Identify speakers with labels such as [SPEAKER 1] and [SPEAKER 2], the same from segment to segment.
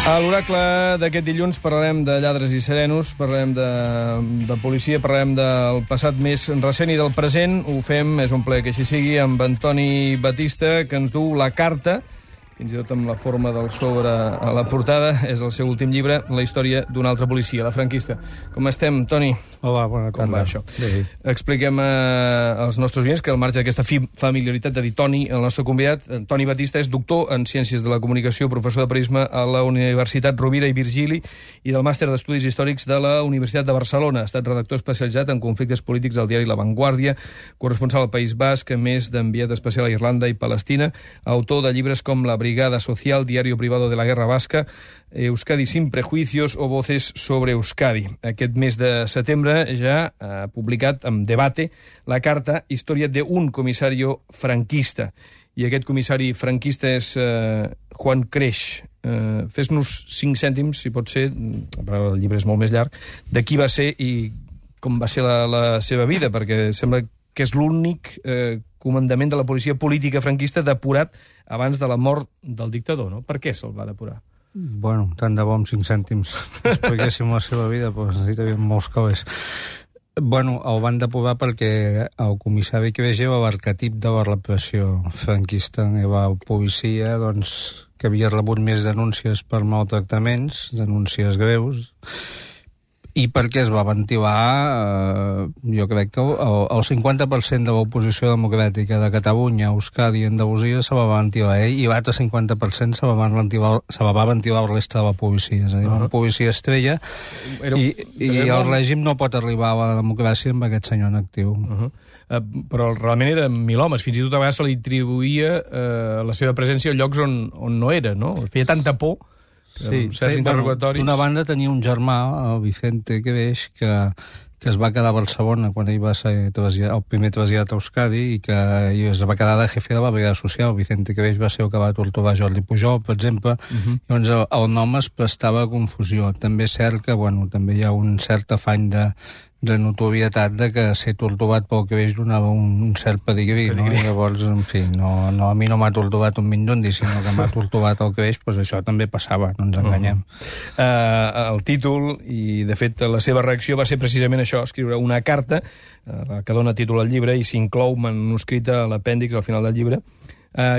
[SPEAKER 1] A l'oracle d'aquest dilluns parlarem de lladres i serenos, parlarem de policia, parlarem del passat més recent i del present. Ho fem, és un plaer que així sigui, amb Antoni Batista, que ens du La Carta, fins i tot amb la forma del sobre a la portada. És el seu últim llibre, La història d'un altre policia, la franquista. Com estem, Toni?
[SPEAKER 2] Hola, bona tarda.
[SPEAKER 1] Com va això?
[SPEAKER 2] Sí.
[SPEAKER 1] Expliquem als nostres oients que al marge d'aquesta familiaritat de dir Toni, el nostre convidat, Toni Batista, és doctor en Ciències de la Comunicació, professor de periodisme a la Universitat Rovira i Virgili i del Màster d'Estudis Històrics de la Universitat de Barcelona. Ha estat redactor especialitzat en conflictes polítics al diari La Vanguardia, corresponsal al País Basc, a més d'enviat especial a Irlanda i Palestina, autor de llibres com La Brigada Social, Diario Privado de la Guerra Basca, Euskadi sin prejuicios o Voces sobre Euskadi. Aquest mes de setembre ja ha publicat amb Debate la carta Història d'un comissario franquista. I aquest comissari franquista és Juan Creix. Fes-nos 5 cèntims, si pot ser, però el llibre és molt més llarg, de qui va ser i com va ser la seva vida, perquè sembla que és l'únic comandament de la policia política franquista depurat abans de la mort del dictador, no? Per què se'l va depurar?
[SPEAKER 2] Bueno, tant de bo amb 5 cèntims expliquéssim la seva vida, però necessitaríem molts calés. Bueno, el van depurar perquè el comissari Creix era l'arquetip de la repressió franquista. Era el policia, doncs, que havia rebut més denúncies per maltractaments, denúncies greus, i perquè es va ventilar, jo crec que el 50% de l'oposició democràtica de Catalunya, Euskadi i Andalusia se la va ventilar ell, i l'altre 50% se la va ventilar el resta de la policia. És a dir, una policia estrella, i el règim no pot arribar a la democràcia amb aquest senyor en actiu.
[SPEAKER 1] Però realment eren 1.000 homes. Fins i tot a vegades se li atribuïa la seva presència a llocs on no era, no? Feia tanta por.
[SPEAKER 2] Sí, d'una banda tenia un germà, el Vicente Creix, que es va quedar a Barcelona quan ell va ser el primer traslladat a Euskadi i que es va quedar de jefe de la Brigada Social. Vicente Creix va ser el que va torturar Jordi Pujol, per exemple. Llavors el nom es prestava a confusió. També és cert que també hi ha un cert afany de notorietat de que ser torturat pel Creix donava un cert pedigrí, no? Llavors, en fi, a mi no m'ha torturat un Mindundi, sinó que m'ha torturat el Creix, doncs això també passava, no ens enganyem.
[SPEAKER 1] El títol, i de fet la seva reacció va ser precisament això, escriure una carta que dona títol al llibre i s'inclou manuscrita a l'apèndix al final del llibre,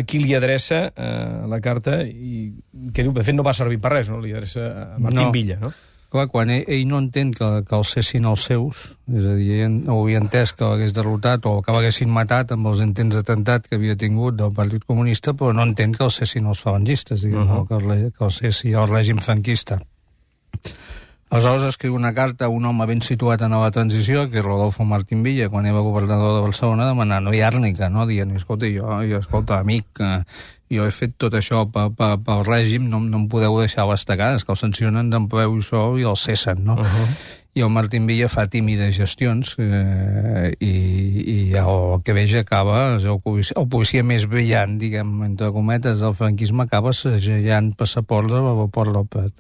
[SPEAKER 1] qui li adreça la carta i que diu, de fet no va servir per res, no? Li adreça a Martín Villa, no?
[SPEAKER 2] Clar, quan ell no entén que els cessin els seus, és a dir, ell no havia entès que l'hagués derrotat o que l'haguessin matat amb els intents d'atemptat que havia tingut del Partit Comunista, però no entén que els cessin els falangistes, diguem, que els cessi el règim franquista. Aleshores escriu una carta a un home ben situat en la transició, que és Rodolfo Martín Villa, quan era governador de Barcelona, demanant-li àrnica, no? Dient, escolta, amic, jo he fet tot això pel règim, no em podeu deixar a les tacades, que el sancionen d'empleu i sou i el cessen, no? I el Martín Villa fa tímides gestions i el que veig acaba, el policia més brillant, diguem, entre cometes, del franquisme, acaba segellant passaports a l'aeroport del Prat.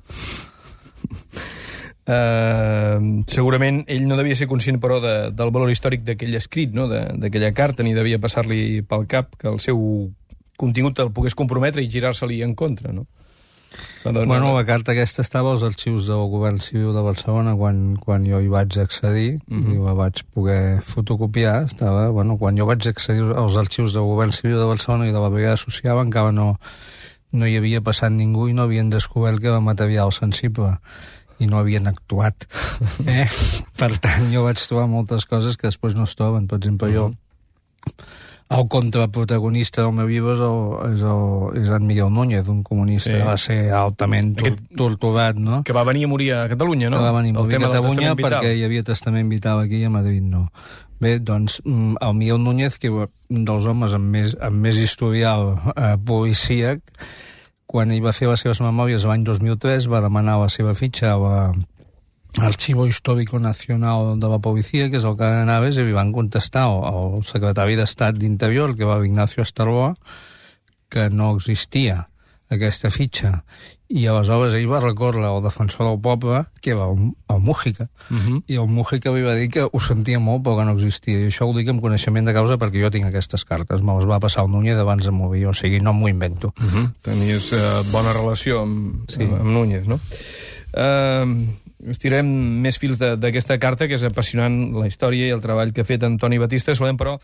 [SPEAKER 1] Segurament ell no devia ser conscient, però, del valor històric d'aquell escrit, no? D'aquella carta, ni devia passar-li pel cap que el seu contingut el pogués comprometre i girar-se-li en contra, no?
[SPEAKER 2] Bueno, la carta aquesta estava als arxius del Govern Civil de Barcelona quan jo hi vaig accedir i la vaig poder fotocopiar. Estava, quan jo vaig accedir als arxius del Govern Civil de Barcelona i de la Brigada Social, encara no hi havia passat ningú i no havien descobert que era material sensible i no havien actuat. Per tant, jo vaig trobar moltes coses que després no es troben. Per exemple, el contraprotagonista del meu llibre és en Miguel Núñez, un comunista que va ser altament torturat, no?
[SPEAKER 1] Que va venir a morir a Catalunya, no?
[SPEAKER 2] Que va venir a morir a Catalunya perquè hi havia testament vital aquí i a Madrid no. Bé, doncs, el Miguel Núñez, que és un dels homes amb més historial policíac, quan ell va fer les seves memòries l'any 2003, va demanar la seva fitxa a l'Archivo Histórico Nacional de la Policia, que és el que anaves, i li van contestar al secretari d'Estat d'Interior, que va Ignacio Astarloa, que no existia aquesta fitxa. I aleshores ell va recórrer al defensor del poble, que era el Mújica, i el Mújica li va dir que ho sentia molt però que no existia. I això ho dic amb coneixement de causa perquè jo tinc aquestes cartes. Me les va passar el Núñez abans de morir, o sigui, no m'ho invento.
[SPEAKER 1] Tenies bona relació amb Núñez, no? Estirem més fils d'aquesta carta, que és apassionant la història i el treball que ha fet Antoni Batista. Saludem, però,